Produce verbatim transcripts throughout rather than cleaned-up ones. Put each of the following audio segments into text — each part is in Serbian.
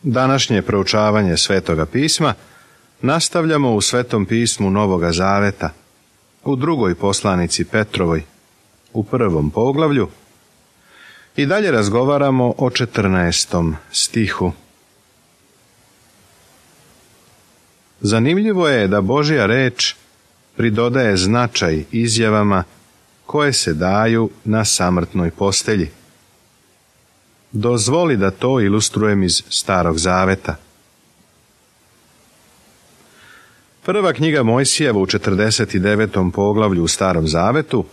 Današnje proučavanje Svetoga pisma nastavljamo u Svetom pismu Novoga Zaveta, u drugoj poslanici Petrovoj, u prvom poglavlju, i dalje razgovaramo o četrnaestom stihu. Zanimljivo je da Božja reč pridodaje značaj izjavama koje se daju na samrtnoj postelji. Dozvoli da to ilustrujem iz Starog Zaveta. Prva knjiga Mojsijeva u četrdeset devetom poglavlju u Starom Zavetu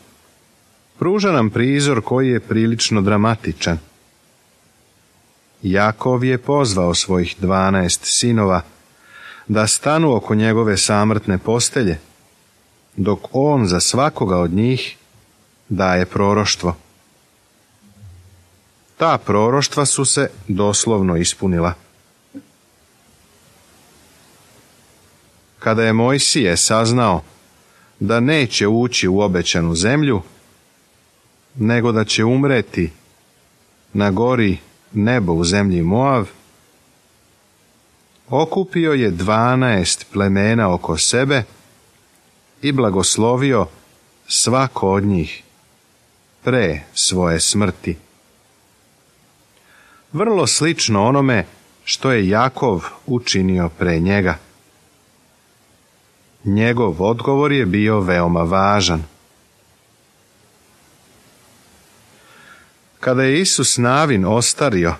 pruža nam prizor koji je prilično dramatičan. Jakov je pozvao svojih dvanaest sinova da stanu oko njegove samrtne postelje, dok on za svakoga od njih daje proroštvo. Ta proroštva su se doslovno ispunila. Kada je Mojsije saznao da neće ući u obećanu zemlju, nego da će umreti na gori Nebo u zemlji Moav, okupio je dvanaest plemena oko sebe i blagoslovio svako od njih pre svoje smrti. Vrlo slično onome što je Jakov učinio pre njega. Njegov odgovor je bio veoma važan. Kada je Isus Navin ostario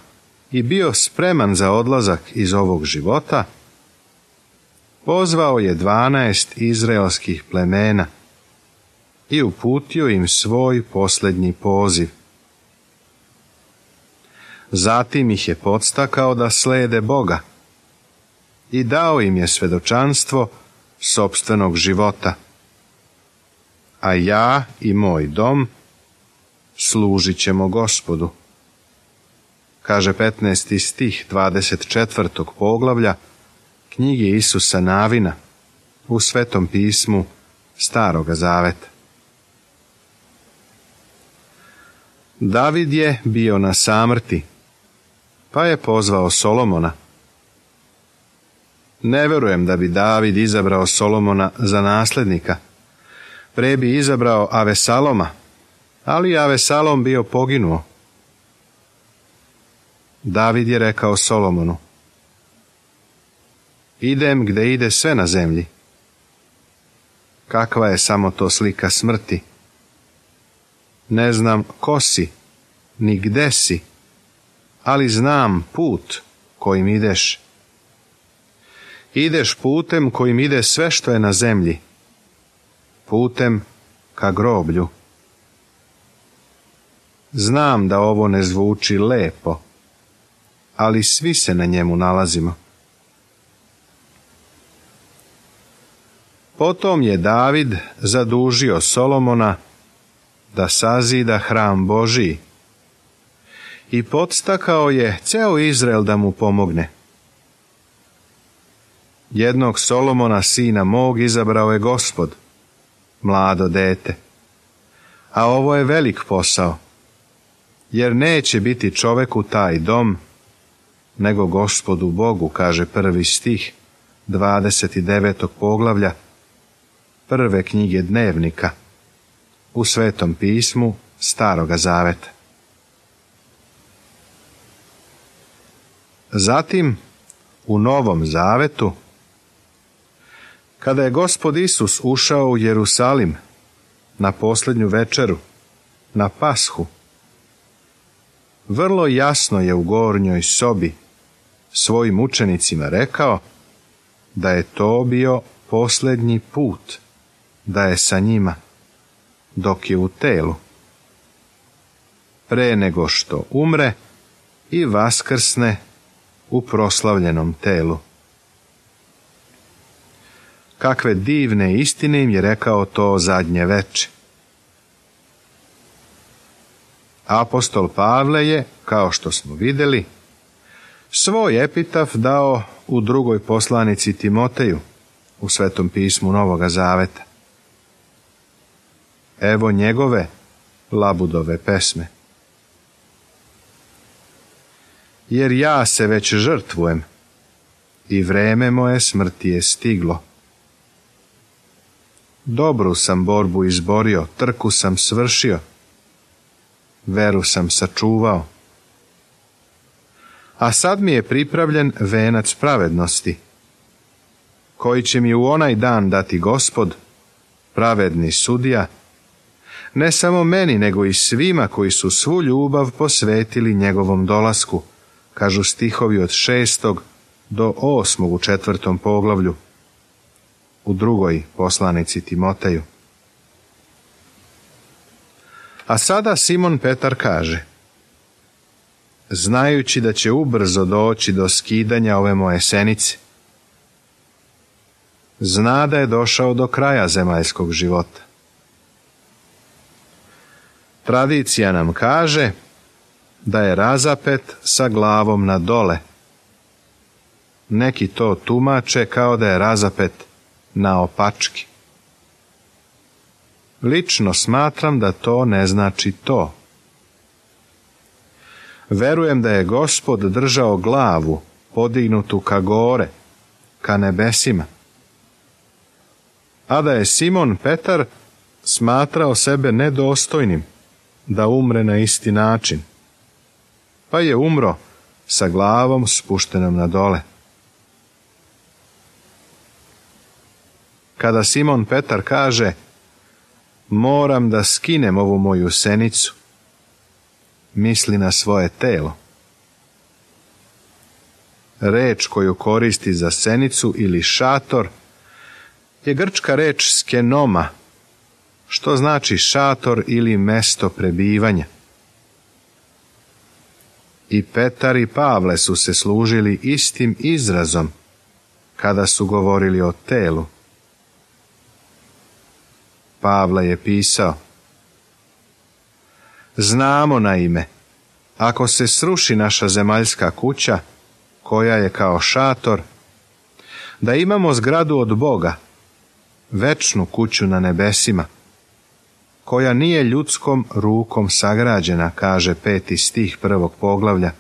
i bio spreman za odlazak iz ovog života, pozvao je dvanaest izraelskih plemena i uputio im svoj posljednji poziv. Zatim ih je podstakao da slede Boga i dao im je svedočanstvo sopstvenog života. A ja i moj dom služit ćemo Gospodu, kaže petnaesti stih dvadeset četvrtog poglavlja knjige Isusa Navina u Svetom pismu Staroga Zaveta. David je bio na samrti, pa je pozvao Solomona. Ne verujem da bi David izabrao Solomona za nasljednika. Pre bi izabrao Avesaloma, ali Avesalom bio poginuo. David je rekao Solomonu: idem gde ide sve na zemlji. Kakva je samo to slika smrti? Ne znam ko si, ni gde si, ali znam put kojim ideš. Ideš putem kojim ide sve što je na zemlji, putem ka groblju. Znam da ovo ne zvuči lepo, ali svi se na njemu nalazimo. Potom je David zadužio Solomona da sazida hram Božiji i podstakao je ceo Izrael da mu pomogne. Jednog Solomona, sina mog, izabrao je Gospod, mlado dete. A ovo je velik posao, jer neće biti čoveku taj dom, nego Gospodu Bogu, kaže prvi stih dvadeset devetog poglavlja prve knjige Dnevnika u Svetom pismu Staroga Zaveta. Zatim, u Novom Zavetu, kada je Gospod Isus ušao u Jerusalim na posljednju večeru, na Pashu, vrlo jasno je u gornjoj sobi svojim učenicima rekao da je to bio posljednji put da je sa njima dok je u telu, pre nego što umre i vaskrsne u proslavljenom telu. Kakve divne istine im je rekao to zadnje veče. Apostol Pavle je, kao što smo vidjeli, svoj epitaf dao u drugoj poslanici Timoteju u Svetom pismu Novoga Zaveta. Evo njegove labudove pesme. jer ja se već žrtvujem i vreme moje smrti je stiglo. Dobru sam borbu izborio, trku sam svršio, veru sam sačuvao. A sad mi je pripravljen venac pravednosti, koji će mi u onaj dan dati Gospod, pravedni sudija, ne samo meni, nego i svima koji su svu ljubav posvetili njegovom dolasku, kažu stihovi od šestog do osmog u četvrtom poglavlju, u drugoj poslanici Timoteju. A sada Simon Petar kaže: znajući da će ubrzo doći do skidanja ove moje senice, zna da je došao do kraja zemaljskog života. Tradicija nam kaže da je razapet sa glavom na dole. Neki to tumače kao da je razapet naopački. Lično smatram da to ne znači to. Verujem da je Gospod držao glavu podignutu ka gore, ka nebesima, a da je Simon Petar smatrao sebe nedostojnim da umre na isti način, pa je umro sa glavom spuštenom na dole. Kada Simon Petar kaže: moram da skinem ovu moju senicu, misli na svoje telo. Reč koju koristi za senicu ili šator je grčka reč skenoma, što znači šator ili mesto prebivanja. I Petar i Pavle su se služili istim izrazom kada su govorili o telu. Pavle je pisao: znamo naime, ako se sruši naša zemaljska kuća, koja je kao šator, da imamo zgradu od Boga, večnu kuću na nebesima, koja nije ljudskom rukom sagrađena, kaže peti stih prvog poglavlja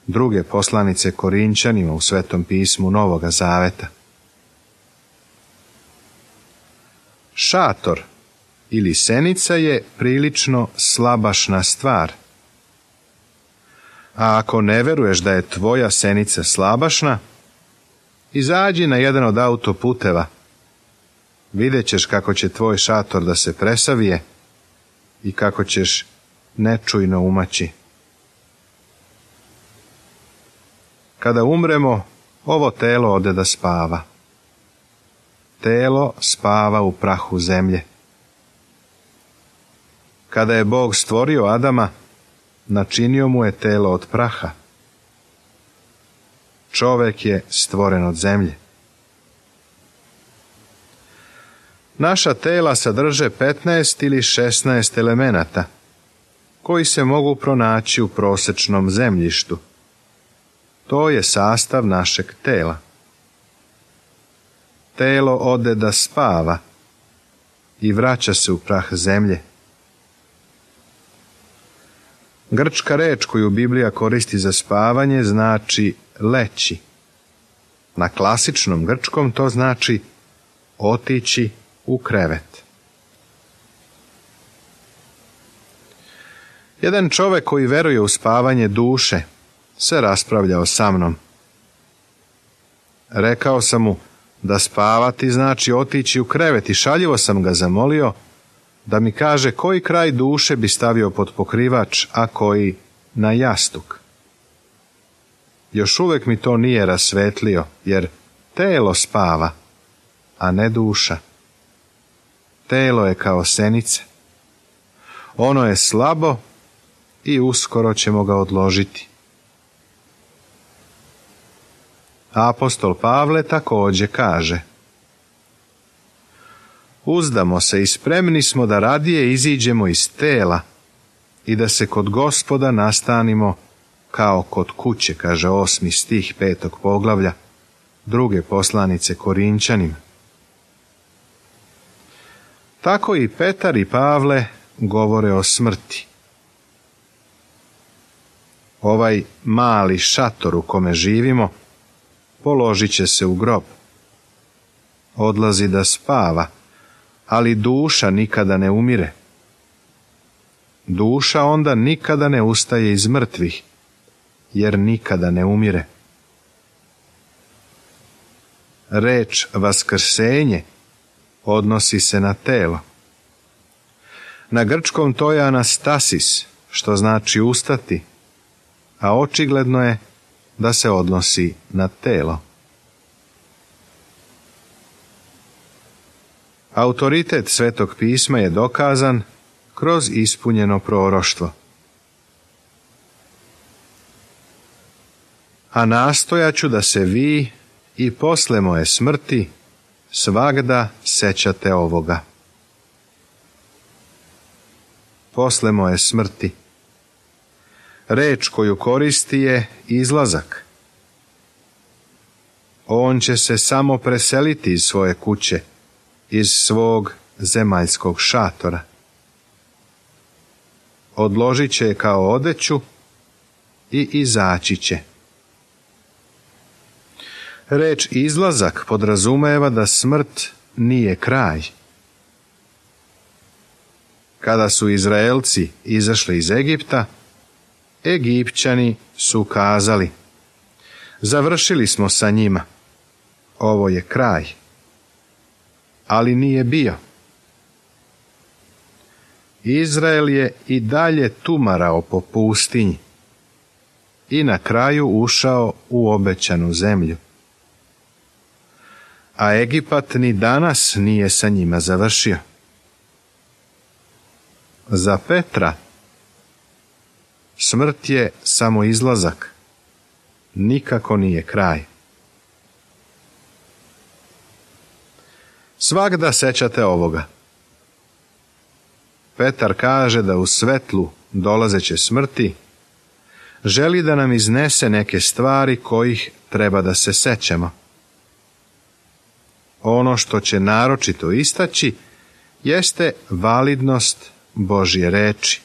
druge poslanice Korinčanima u Svetom pismu Novoga Zaveta. Šator ili senica je prilično slabašna stvar. A ako ne veruješ da je tvoja senica slabašna, izađi na jedan od autoputeva. Vidjet ćeš kako će tvoj šator da se presavije i kako ćeš nečujno umaći. Kada umremo, ovo telo ode da spava. Telo spava u prahu zemlje. Kada je Bog stvorio Adama, načinio mu je telo od praha. Čovek je stvoren od zemlje. Naša tela sadrže petnaest ili šesnaest elemenata, koji se mogu pronaći u prosečnom zemljištu. To je sastav našeg tela. Telo ode da spava i vraća se u prah zemlje. Grčka reč koju Biblija koristi za spavanje znači leći. Na klasičnom grčkom to znači otići u krevet. Jedan čovjek koji veruje u spavanje duše se raspravljao sa mnom. Rekao sam mu da spavati znači otići u krevet i šaljivo sam ga zamolio da mi kaže koji kraj duše bi stavio pod pokrivač, a koji na jastuk. Još uvijek mi to nije rasvetlio, jer telo spava, a ne duša. Telo je kao senice. Ono je slabo i uskoro ćemo ga odložiti. Apostol Pavle također kaže: uzdamo se i spremni smo da radije iziđemo iz tela i da se kod Gospoda nastanimo kao kod kuće, kaže osmi stih petog poglavlja druge poslanice Korinčanima. Tako i Petar i Pavle govore o smrti. Ovaj mali šator u kome živimo položit će se u grob. Odlazi da spava, ali duša nikada ne umire. Duša onda nikada ne ustaje iz mrtvih, jer nikada ne umire. Reč vaskrsenje odnosi se na telo. Na grčkom to je anastasis, što znači ustati, a očigledno je da se odnosi na telo. Autoritet Svetog pisma je dokazan kroz ispunjeno proroštvo. A nastojat ću da se vi i posle moje smrti svagda sećate ovoga. Posle moje smrti. Reč koju koristi je izlazak. On će se samo preseliti iz svoje kuće, iz svog zemaljskog šatora. Odložit će je kao odeću i izaći će. Reč izlazak podrazumeva da smrt nije kraj. Kada su Izraelci izašli iz Egipta, Egipćani su kazali: završili smo sa njima, ovo je kraj. Ali nije bio. Izrael je i dalje tumarao po pustinji i na kraju ušao u obećanu zemlju. A Egipat ni danas nije sa njima završio. Za Petra smrt je samo izlazak, nikako nije kraj. Svagda sećate ovoga. Petar kaže da u svetlu dolazeće smrti želi da nam iznese neke stvari kojih treba da se sećamo. Ono što će naročito istaći jeste validnost Božje reči.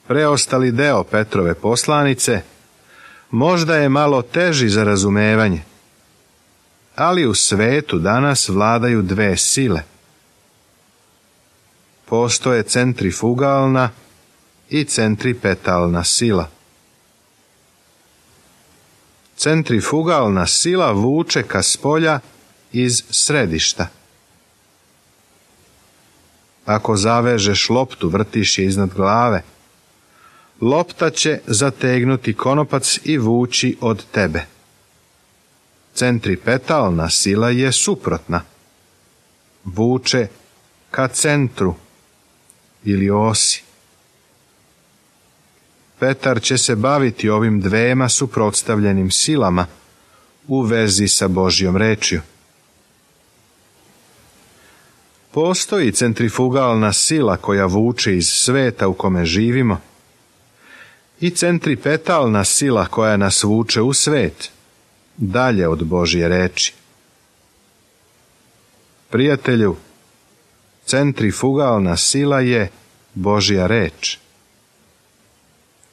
Preostali deo Petrove poslanice možda je malo teži za razumevanje, ali u svetu danas vladaju dve sile. Postoje centrifugalna i centripetalna sila. Centrifugalna sila vuče ka spolja iz središta. Ako zavežeš loptu, vrtiš je iznad glave, lopta će zategnuti konopac i vući od tebe. Centripetalna sila je suprotna. Vuče ka centru ili osi. Petar će se baviti ovim dvema suprotstavljenim silama u vezi sa Božjom rečju. Postoji centrifugalna sila koja vuče iz sveta u kome živimo i centripetalna sila koja nas vuče u svet, dalje od Božje reči. Prijatelju, centrifugalna sila je Božja reč.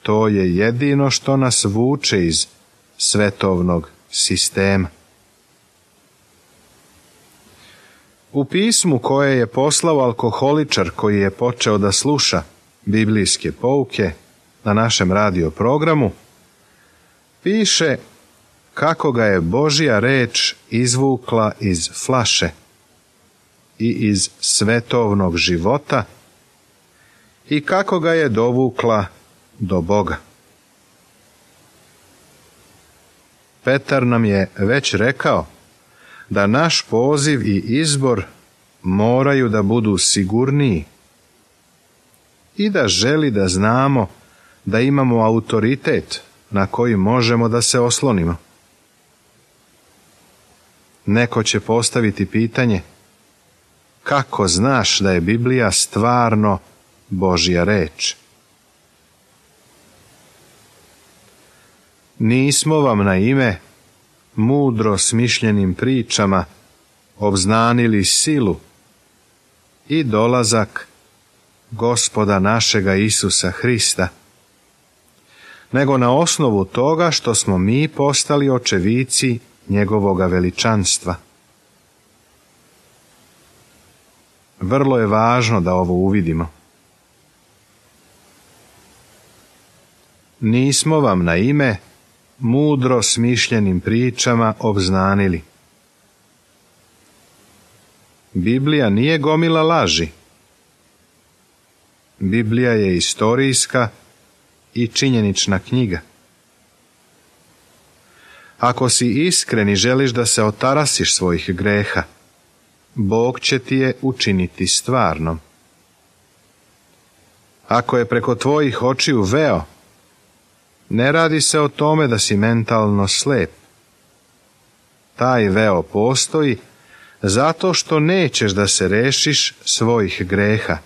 To je jedino što nas vuče iz svetovnog sistema. U pismu koje je poslao alkoholičar koji je počeo da sluša biblijske pouke na našem radio programu, piše kako ga je Božja reč izvukla iz flaše i iz svetovnog života i kako ga je dovukla do Boga. Petar nam je već rekao da naš poziv i izbor moraju da budu sigurniji i da želi da znamo da imamo autoritet na koji možemo da se oslonimo. Neko će postaviti pitanje: kako znaš da je Biblija stvarno Božja reč? Nismo vam na ime mudro smišljenim pričama obznanili silu i dolazak Gospoda našega Isusa Hrista, nego na osnovu toga što smo mi postali očevici njegovoga veličanstva. Vrlo je važno da ovo uvidimo. Nismo vam na ime mudro smišljenim pričama obznanili. Biblija nije gomila laži. Biblija je istorijska i činjenična knjiga. Ako si iskren i želiš da se otarasiš svojih greha, Bog će ti je učiniti stvarnom. Ako je preko tvojih očiju veo, ne radi se o tome da si mentalno slep. Taj veo postoji zato što nećeš da se rešiš svojih greha.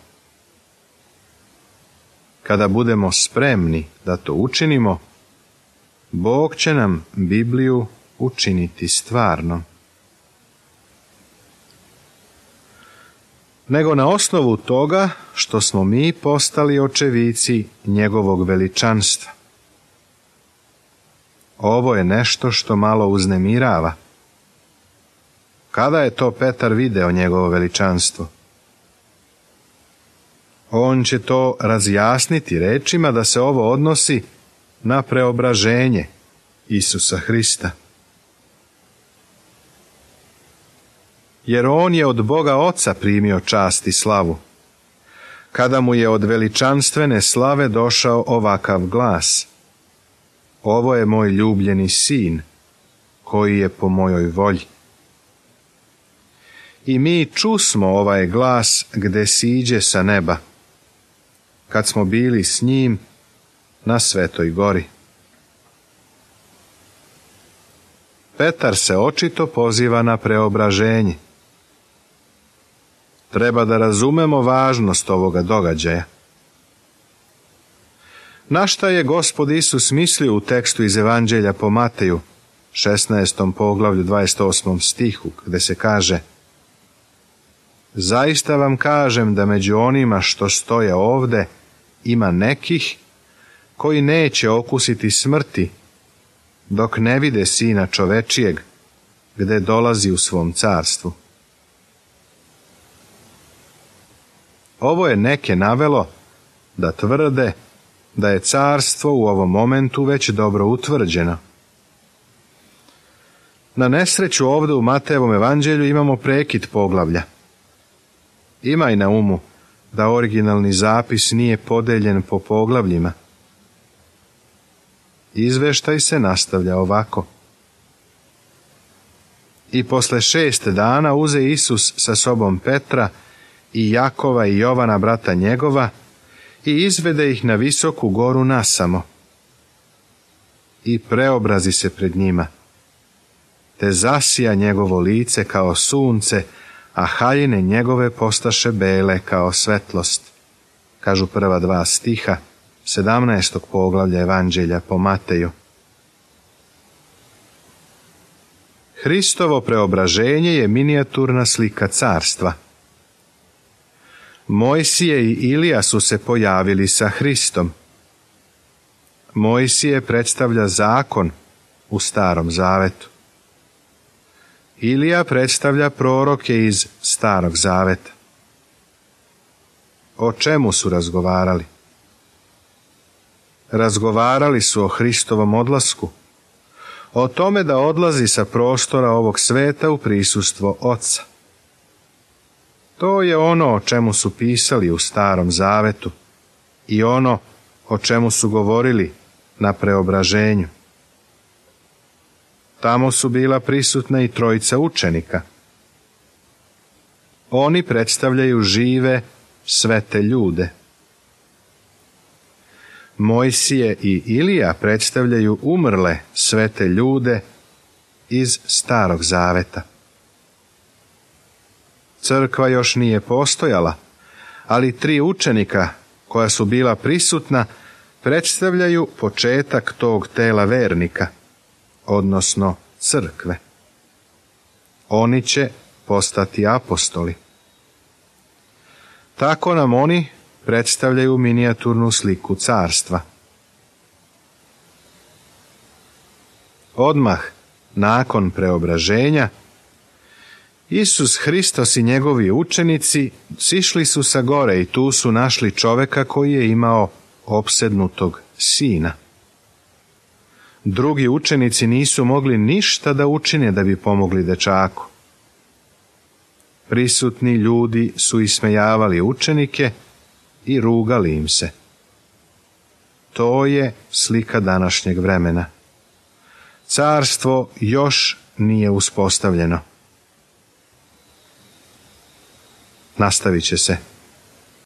Kada budemo spremni da to učinimo, Bog će nam Bibliju učiniti stvarnom. Nego na osnovu toga što smo mi postali očevici njegovog veličanstva. Ovo je nešto što malo uznemirava. Kada je to Petar video njegovo veličanstvo? On će to razjasniti rečima da se ovo odnosi na preobraženje Isusa Hrista. Jer on je od Boga Oca primio čast i slavu, kada mu je od veličanstvene slave došao ovakav glas: Ovo je moj ljubljeni sin, koji je po mojoj volji. I mi čusmo ovaj glas gde siđe sa neba, kad smo bili s njim na Svetoj gori. Petar se očito poziva na preobraženje. Treba da razumemo važnost ovoga događaja. Na šta je Gospod Isus mislio u tekstu iz Evanđelja po Mateju, šesnaestom poglavlju, dvadeset osmom stihu, gde se kaže: Zaista vam kažem da među onima što stoje ovde ima nekih koji neće okusiti smrti dok ne vide Sina čovečijeg gde dolazi u svom carstvu. Ovo je neke navelo da tvrde da je carstvo u ovom momentu već dobro utvrđeno. Na nesreću ovdje u Matejevom evanđelju imamo prekid poglavlja. Imaj na umu da originalni zapis nije podeljen po poglavljima. Izveštaj se nastavlja ovako. I posle šest dana uze Isus sa sobom Petra i Jakova i Jovana brata njegova i izvede ih na visoku goru nasamo. I preobrazi se pred njima, te zasija njegovo lice kao sunce, a haljine njegove postaše bele kao svetlost, kažu prva dva stiha sedamnaestog poglavlja Evanđelja po Mateju. Hristovo preobraženje je minijaturna slika carstva. Mojsije i Ilija su se pojavili sa Hristom. Mojsije predstavlja zakon u Starom Zavetu. Ilija predstavlja proroke iz Starog Zaveta. O čemu su razgovarali? Razgovarali su o Hristovom odlasku, o tome da odlazi sa prostora ovog sveta u prisustvo Oca. To je ono o čemu su pisali u Starom Zavetu i ono o čemu su govorili na preobraženju. Tamo su bila prisutna i trojica učenika. Oni predstavljaju žive, svete ljude. Mojsije i Ilija predstavljaju umrle, svete ljude iz Starog Zaveta. Crkva još nije postojala, ali tri učenika koja su bila prisutna predstavljaju početak tog tela vernika, odnosno crkve. Oni će postati apostoli. Tako nam oni predstavljaju minijaturnu sliku carstva. Odmah nakon preobraženja, Isus Hristos i njegovi učenici sišli su sa gore i tu su našli čoveka koji je imao opsednutog sina. Drugi učenici nisu mogli ništa da učine da bi pomogli dečaku. Prisutni ljudi su ismejavali učenike i rugali im se. To je slika današnjeg vremena. Carstvo još nije uspostavljeno. Nastavit će se.